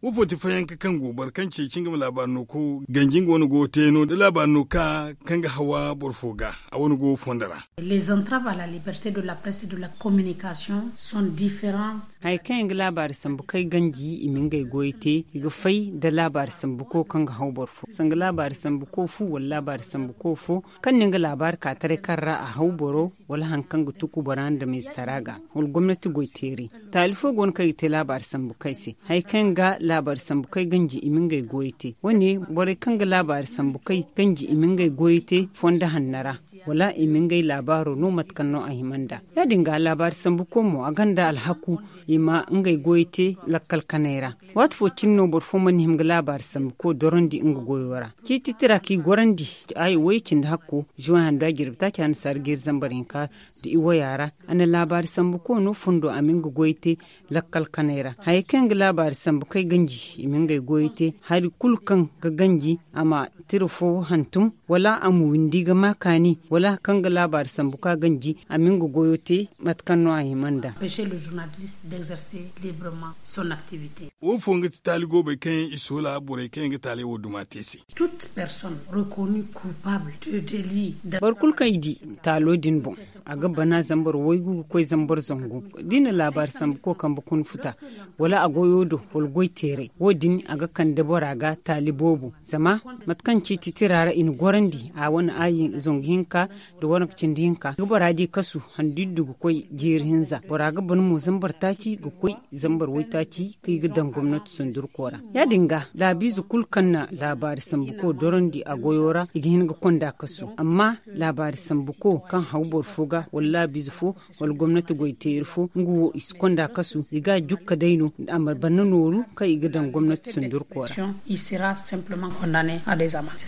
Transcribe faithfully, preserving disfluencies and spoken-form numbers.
Wo fo ti fayanka kaŋ go boro kaŋ ceeci nga ma laabaari no ko ganji nga wane go ga te no da laabaari no ka kaŋ ga hawa boro fo ga a wane go fondo ra. Les entraves à la liberté de la presse et de la communication sont différentes. Hari kaŋ yaŋ ga laabaari sambu kay ganji i ma ngey goyo te i ga fay nda laabaari sambu ko kaŋ ga haw boro fo sanga laabaari sambu ko fu wala laabaari sambu ko fo kaŋ na nga laabaari ka taray kaŋ ra a haw boro wala hari kaŋ ga tuku bora nda miizitara ga wala gomnati goy teeri. Taali fo go no kaŋ i ga te laabaari sambu kay se hari kaŋ ga laabaari sambu kay ganji i ma ngey goyo te wo- ne borey kaŋ ga laabaari sambu kay ganji i ma ngey goyo te fondo hanno ra wala i ma ngey laabaaro no mate kaŋ no a hima nd'a. Ya- din ga laabaari sambu ko mo a gonda alhaku i ma ngey goyo te lakkal kanay ra. Waati fo cine no boro fo mana hima ga laabaari sambu ko dorandi nga goyo ra ciiti tira kaŋ i gorandi aayo woy cindi hakko zuwan handu a jirbi taaci handu saara ga iri zambar hinka nda i waya ra. A na laabaari sambu ko no fondo a ma nga goyo te lakkal kanay ra hari kaŋ yaŋ ga laabaari sambu kay ganji i ma ngey goyo te hari kulu kaŋ ga ganji a ma tira fo hantum wala a ma windi ga ma kaani wala hari kaŋ ga laabaari sambu ka ganji a ma nga goyo te mate kaŋ no a hima nd'a. Empêcher le journaliste d'exercer librement son activité. Wo fo nga ti taali goobey kaŋ yaŋ i soola borey kaŋ yaŋ ga taaley wo duma te se. Toute personne reconnue coupable de délit. Boro kulu kaŋ i di taalo din boŋ a ga bana zambar waygu ga koy zambar zangu da i na laabaari sambu ko kambe kuna futa wala a goyo do wala goy teeray wo- din a ga kande bora ga taali boobo zama mate kaŋ ciiti tira ra i na gorandi a wane aayi zangu hinka nda waranka cindi hinka ga bora di kasu handu iddu ga koy jeeri hinza bora ga ban mo zambar taaci ga koy zambar waytaaci kaŋ i ga daŋ gomnati sundurko ra. Ya- din ga laabiize kulu kaŋ na laabaari sambu ko dorandi a goyo ra i ga hin ga konda kasu amma laabaari sambu ko kaŋ haw boro fo ga wala laabiize fo wala gomnati goy teeri fo nga wo i si konda kasu i ga a jukka day no a ma banda nooru kaŋ i ga daŋ gomnati sundurko ra. Il sera simplement condamné à des amendes.